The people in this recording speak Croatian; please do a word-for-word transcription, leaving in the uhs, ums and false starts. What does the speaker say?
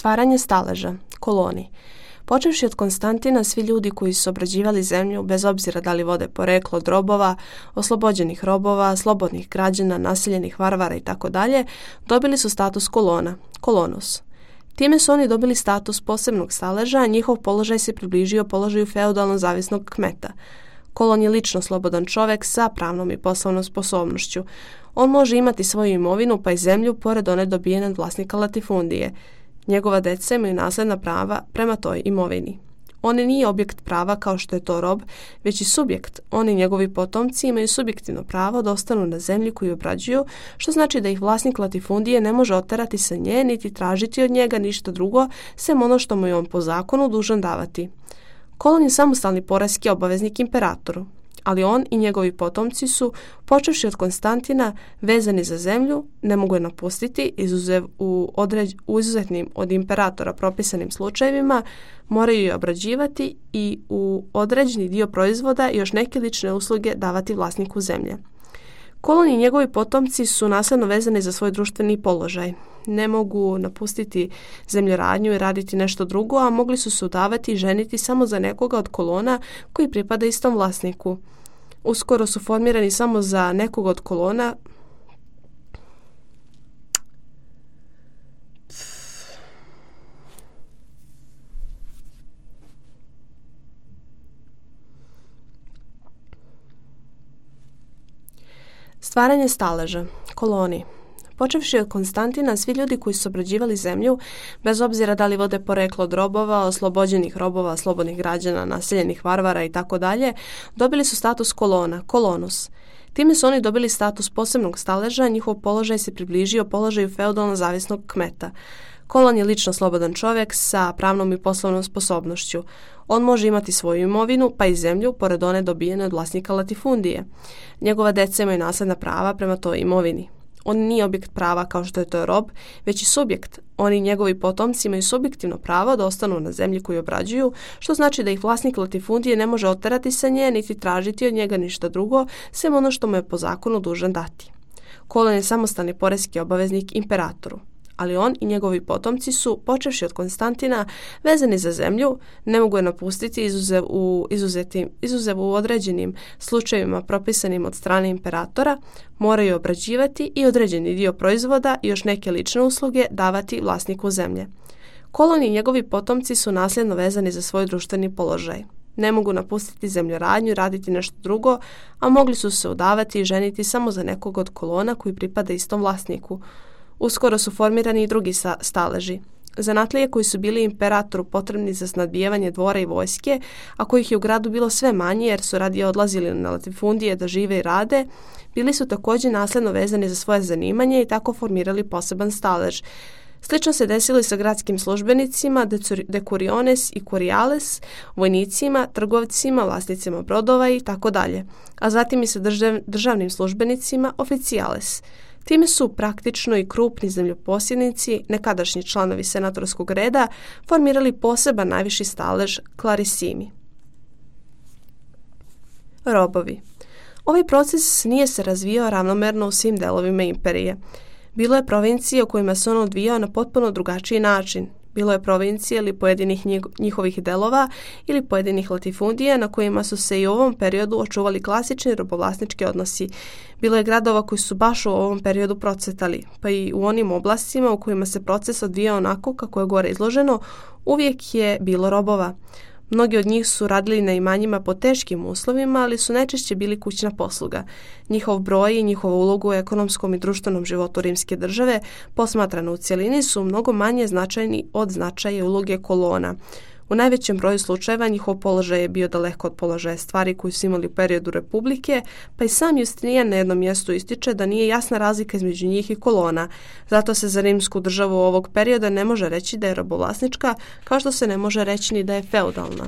Stvaranje staleža, koloni. Počevši od Konstantina, svi ljudi koji su obrađivali zemlju, bez obzira da li vode poreklo od robova, oslobođenih robova, slobodnih građana, naseljenih varvara itd., dobili su status kolona, kolonus. Time su oni dobili status posebnog staleža, a njihov položaj se približio položaju feudalno zavisnog kmeta. Kolon je lično slobodan čovjek sa pravnom i poslovnom sposobnošću. On može imati svoju imovinu pa i zemlju pored one dobijene od vlasnika latifundije. Njegova deca imaju nasljedna prava prema toj imovini. On nije objekt prava kao što je to rob, već i subjekt. Oni i njegovi potomci imaju subjektivno pravo da ostanu na zemlji koju obrađuju, što znači da ih vlasnik latifundije ne može oterati sa nje niti tražiti od njega ništa drugo, sem ono što mu je on po zakonu dužan davati. Kolon je samostalni poreski obaveznik imperatoru, ali on i njegovi potomci su, počevši od Konstantina, vezani za zemlju, ne mogu je napustiti, izuzev u, određ, u izuzetnim od imperatora propisanim slučajevima, moraju je obrađivati i u određeni dio proizvoda i još neke lične usluge davati vlasniku zemlje. Kolon i njegovi potomci su nasljedno vezani za svoj društveni položaj. Ne mogu napustiti zemljoradnju i raditi nešto drugo, a mogli su se udavati i ženiti samo za nekoga od kolona koji pripada istom vlasniku. Uskoro su formirani samo za nekoga od kolona Stvaranje staleža, koloni. Počevši od Konstantina, svi ljudi koji su obrađivali zemlju, bez obzira da li vode poreklo od robova, oslobođenih robova, slobodnih građana, naseljenih varvara itd., dobili su status kolona, kolonus. Time su oni dobili status posebnog staleža, njihov položaj se približio položaju feudalno zavisnog kmeta. Kolon je lično slobodan čovjek sa pravnom i poslovnom sposobnošću. On može imati svoju imovinu, pa i zemlju, pored one dobijene od vlasnika latifundije. Njegova deca imaju nasljedna prava prema toj imovini. On nije objekt prava kao što je to rob, već i subjekt. Oni i njegovi potomci imaju subjektivno pravo da ostanu na zemlji koju obrađuju, što znači da ih vlasnik latifundije ne može oterati sa nje, niti tražiti od njega ništa drugo, sem ono što mu je po zakonu dužan dati. Kolon je samostalni poreski obaveznik imperatoru, ali on i njegovi potomci su, počevši od Konstantina, vezani za zemlju, ne mogu je napustiti izuzev u, izuzetim, izuzev u određenim slučajevima propisanim od strane imperatora, moraju obrađivati i određeni dio proizvoda i još neke lične usluge davati vlasniku zemlje. Kolon i njegovi potomci su nasljedno vezani za svoj društveni položaj. Ne mogu napustiti zemljoradnju i raditi nešto drugo, a mogli su se udavati i ženiti samo za nekog od kolona koji pripada istom vlasniku. Uskoro su formirani i drugi staleži. Zanatlije koji su bili imperatoru potrebni za snabdijevanje dvora i vojske, a kojih je u gradu bilo sve manje jer su radije odlazili na latifundije da žive i rade, bili su također nasljedno vezani za svoje zanimanje i tako formirali poseban stalež. Slično se desilo i sa gradskim službenicima, decuriones i curiales, vojnicima, trgovcima, vlasnicima brodova i tako dalje, a zatim i sa držav, državnim službenicima, oficiales. Time su praktično i krupni zemljoposjednici, nekadašnji članovi senatorskog reda, formirali poseban najviši stalež clarissimi. Robovi. Ovaj proces nije se razvijao ravnomerno u svim delovima imperije. Bilo je provincije u kojima se on odvijao na potpuno drugačiji način. Bilo je provincije ili pojedinih njihovih delova ili pojedinih latifundija na kojima su se i u ovom periodu očuvali klasični robovlasnički odnosi. Bilo je gradova koji su baš u ovom periodu procvetali, pa i u onim oblastima u kojima se proces odvijao onako kako je gore izloženo, uvijek je bilo robova. Mnogi od njih su radili na imanjima po teškim uslovima, ali su najčešće bili kućna posluga. Njihov broj i njihovu ulogu u ekonomskom i društvenom životu rimske države, posmatrano u cjelini, su mnogo manje značajni od značaja uloge kolona. U najvećem broju slučajeva njihov položaj je bio daleko od položaja stvari koji su imali u periodu republike, pa i sam Justinijan na jednom mjestu ističe da nije jasna razlika između njih i kolona. Zato se za rimsku državu ovog perioda ne može reći da je robovlasnička, kao što se ne može reći ni da je feudalna.